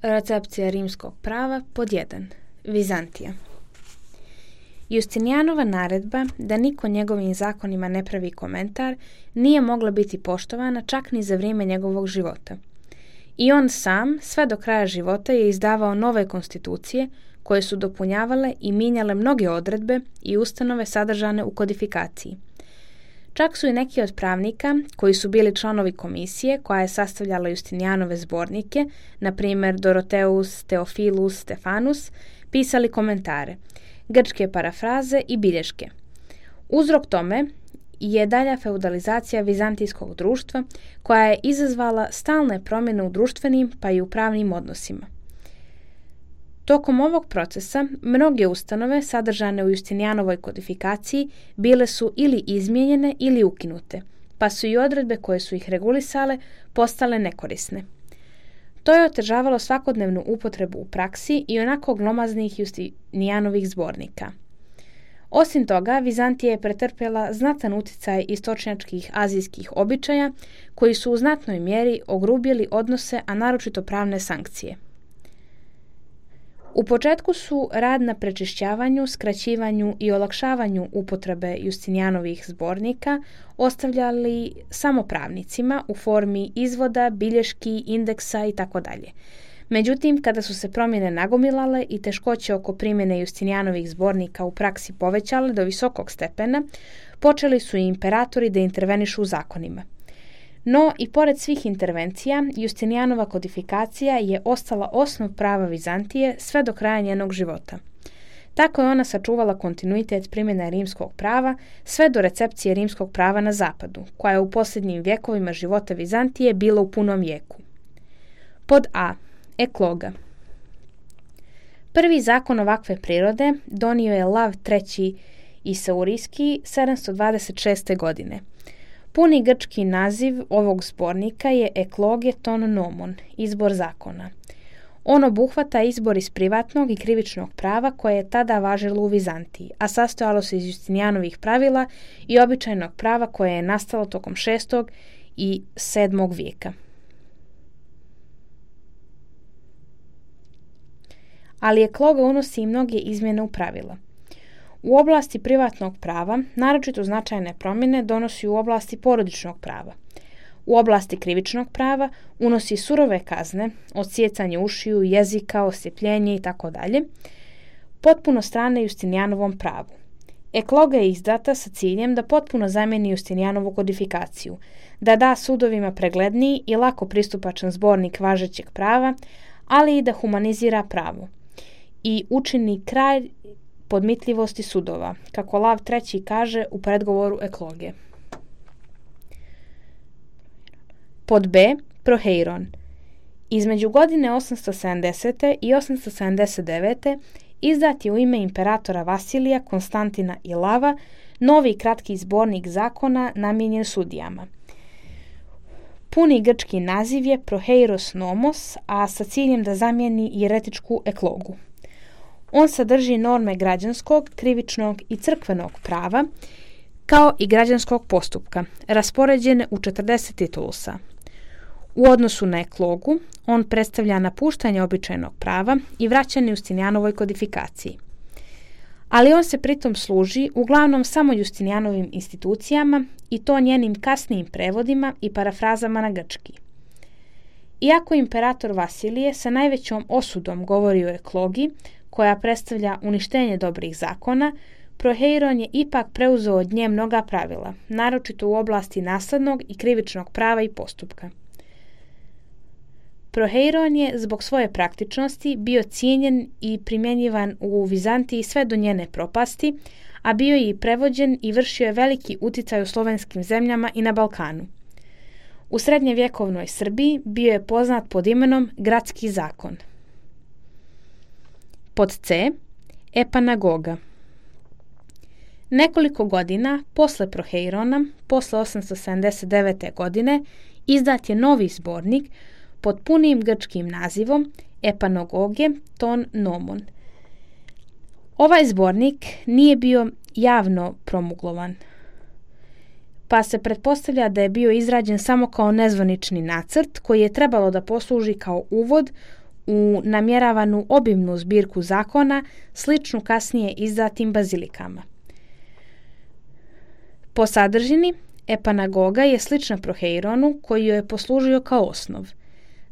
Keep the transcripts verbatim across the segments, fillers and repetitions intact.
Recepcija rimskog prava pod jedan. Vizantija. Justinijanova naredba da niko njegovim zakonima ne pravi komentar nije mogla biti poštovana čak ni za vrijeme njegovog života. I on sam sve do kraja života je izdavao nove konstitucije koje su dopunjavale i mijenjale mnoge odredbe i ustanove sadržane u kodifikaciji. Čak su i neki od pravnika, koji su bili članovi komisije koja je sastavljala Justinijanove zbornike, na primjer Doroteus, Teofilus, Stefanus, pisali komentare, grčke parafraze i bilješke. Uzrok tome je dalja feudalizacija vizantijskog društva koja je izazvala stalne promjene u društvenim pa i u pravnim odnosima. Tokom ovog procesa mnoge ustanove sadržane u Justinijanovoj kodifikaciji bile su ili izmijenjene ili ukinute, pa su i odredbe koje su ih regulisale postale nekorisne. To je otežavalo svakodnevnu upotrebu u praksi i onako glomaznih Justinijanovih zbornika. Osim toga, Vizantija je pretrpjela znatan utjecaj istočnjačkih azijskih običaja koji su u znatnoj mjeri ogrubili odnose, a naročito pravne sankcije. U početku su rad na prečišćavanju, skraćivanju i olakšavanju upotrebe Justinijanovih zbornika ostavljali samo pravnicima u formi izvoda, bilješki, indeksa itd. Međutim, kada su se promjene nagomilale i teškoće oko primjene Justinijanovih zbornika u praksi povećale do visokog stepena, počeli su i imperatori da intervenišu u zakonima. No, i pored svih intervencija, Justinijanova kodifikacija je ostala osnov prava Vizantije sve do kraja njenog života. Tako je ona sačuvala kontinuitet primjene rimskog prava sve do recepcije rimskog prava na zapadu, koja je u posljednjim vjekovima života Vizantije bila u punom vijeku. Pod A. Ekloga. Prvi zakon ovakve prirode donio je Lav treći Isaurijski sedamsto dvadeset šeste. godine. Puni grčki naziv ovog zbornika je Ekloge ton nomon, izbor zakona. On obuhvata izbor iz privatnog i krivičnog prava koje je tada važilo u Vizantiji, a sastojalo se iz Justinijanovih pravila i običajnog prava koje je nastalo tokom šestog i sedmog vijeka. Ali Ekloga unosi i mnoge izmjene u pravila. U oblasti privatnog prava naročito značajne promjene donosi u oblasti porodičnog prava. U oblasti krivičnog prava unosi surove kazne, odsjecanje ušiju, jezika, osjepljenje itd. Potpuno strane Justinijanovom pravu. Ekloga je izdata sa ciljem da potpuno zamijeni Justinijanovu kodifikaciju, da da sudovima pregledniji i lako pristupačan zbornik važećeg prava, ali i da humanizira pravo i učini kraj podmitljivosti sudova, kako Lav treći kaže u predgovoru Ekloge. Pod B. Proheiron. Između godine osamsto sedamdesete. i osamsto sedamdeset devete. izdat je u ime imperatora Vasilija, Konstantina i Lava novi kratki zbornik zakona namijenjen sudijama. Puni grčki naziv je Proheiros nomos, a sa ciljem da zamijeni jeretičku Eklogu. On sadrži norme građanskog, krivičnog i crkvenog prava, kao i građanskog postupka, raspoređene u četrdeset titulusa. U odnosu na Eklogu, on predstavlja napuštanje običajnog prava i vraćanje Justinijanovoj kodifikaciji. Ali on se pritom služi uglavnom samo Justinijanovim institucijama i to njenim kasnijim prevodima i parafrazama na grčki. Iako imperator Vasilije sa najvećom osudom govori o Eklogi, koja predstavlja uništenje dobrih zakona, Proheiron je ipak preuzeo od nje mnoga pravila, naročito u oblasti naslednog i krivičnog prava i postupka. Proheiron je zbog svoje praktičnosti bio cijenjen i primjenjivan u Vizantiji sve do njene propasti, a bio je i prevođen i vršio je veliki utjecaj u slovenskim zemljama i na Balkanu. U srednjevjekovnoj Srbiji bio je poznat pod imenom Gradski zakon. Pod C. Epanagoga. Nekoliko godina posle Proheirona, posle osamsto sedamdeset devete. godine, izdat je novi zbornik pod punim grčkim nazivom Epanagoge ton nomon. Ovaj zbornik nije bio javno promuglovan, pa se pretpostavlja da je bio izrađen samo kao nezvanični nacrt koji je trebalo da posluži kao uvod u namjeravanu obimnu zbirku zakona, sličnu kasnije izdatim bazilikama. Po sadržini, Epanagoga je slična Proheironu koji joj je poslužio kao osnov.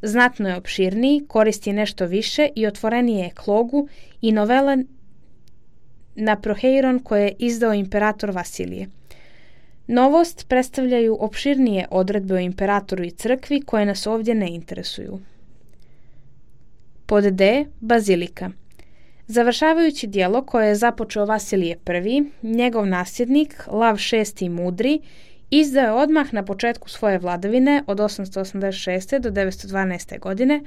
Znatno je opširniji, koristi nešto više i otvorenije je Eklogu i novele na Proheiron koje je izdao imperator Vasilije. Novost predstavljaju opširnije odredbe o imperatoru i crkvi koje nas ovdje ne interesuju. Pod D. Bazilika. Završavajući djelo koje je započeo Vasilije I, njegov nasljednik, Lav šesti Mudri, izdao je odmah na početku svoje vladavine od osamsto osamdeset šeste do devetsto dvanaeste. godine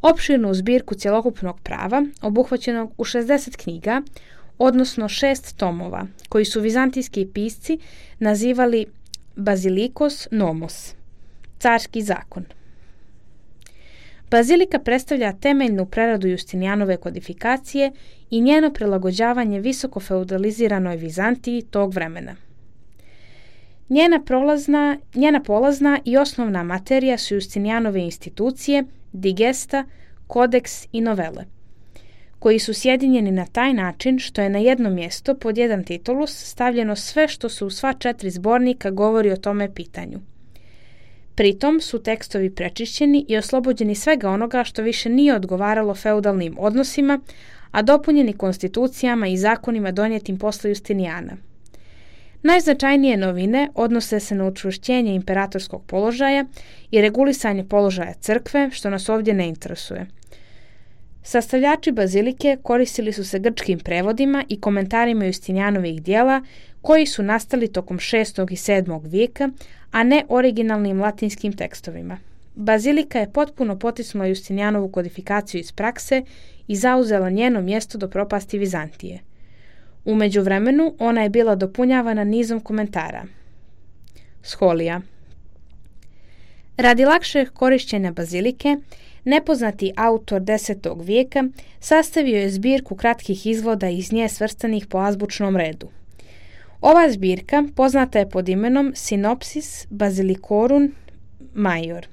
opširnu zbirku cjelokupnog prava obuhvaćenog u šezdeset knjiga, odnosno šest tomova, koji su vizantijski pisci nazivali Bazilikos Nomos, carski zakon. Bazilika predstavlja temeljnu preradu Justinijanove kodifikacije i njeno prilagođavanje visoko feudaliziranoj Vizantiji tog vremena. Njena, prolazna, njena polazna i osnovna materija su Justinijanove institucije, digesta, kodeks i novele, koji su sjedinjeni na taj način što je na jedno mjesto pod jedan titulus stavljeno sve što su u sva četiri zbornika govori o tome pitanju. Pritom su tekstovi prečišćeni i oslobođeni svega onoga što više nije odgovaralo feudalnim odnosima, a dopunjeni konstitucijama i zakonima donijetim posle Justinijana. Najznačajnije novine odnose se na učvršćenje imperatorskog položaja i regulisanje položaja crkve, što nas ovdje ne interesuje. Sastavljači bazilike koristili su se grčkim prevodima i komentarima Justinijanovih dijela koji su nastali tokom šestog i sedmog vijeka, a ne originalnim latinskim tekstovima. Bazilika je potpuno potisnula Justinijanovu kodifikaciju iz prakse i zauzela njeno mjesto do propasti Vizantije. U međuvremenu ona je bila dopunjavana nizom komentara. Scholija. Radi lakšeg korišćenja bazilike, nepoznati autor desetog vijeka sastavio je zbirku kratkih izvoda iz nje svrstanih po azbučnom redu. Ova zbirka poznata je pod imenom Synopsis Basilicorum Major.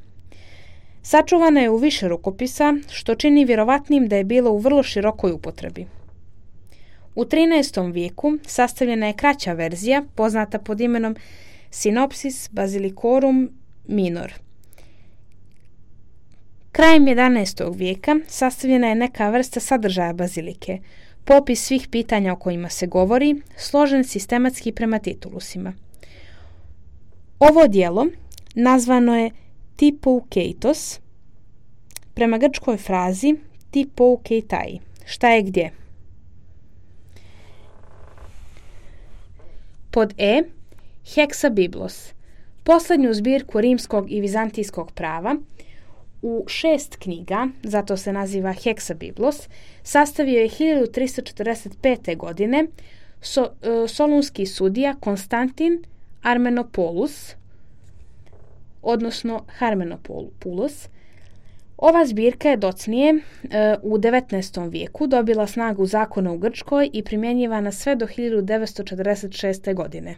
Sačuvana je u više rukopisa, što čini vjerovatnim da je bila u vrlo širokoj upotrebi. U trinaestom vijeku sastavljena je kraća verzija, poznata pod imenom Synopsis Basilicorum Minor. Krajem jedanaestog vijeka sastavljena je neka vrsta sadržaja bazilike, popis svih pitanja o kojima se govori, složen sistematski prema titulusima. Ovo djelo nazvano je Typoukeitos, prema grčkoj frazi Typoukeitai, šta je gdje. Pod E. Hexabiblos, posljednju zbirku rimskog i vizantijskog prava, u šest knjiga, zato se naziva Hexabiblos, sastavio je hiljadu tristo četrdeset pete. godine so, e, solunski sudija Konstantin Armenopoulos, odnosno Harmenopoulos. Ova zbirka je docnije e, u devetnaestom vijeku dobila snagu zakona u Grčkoj i primjenjivana sve do hiljadu devetsto četrdeset šeste. godine.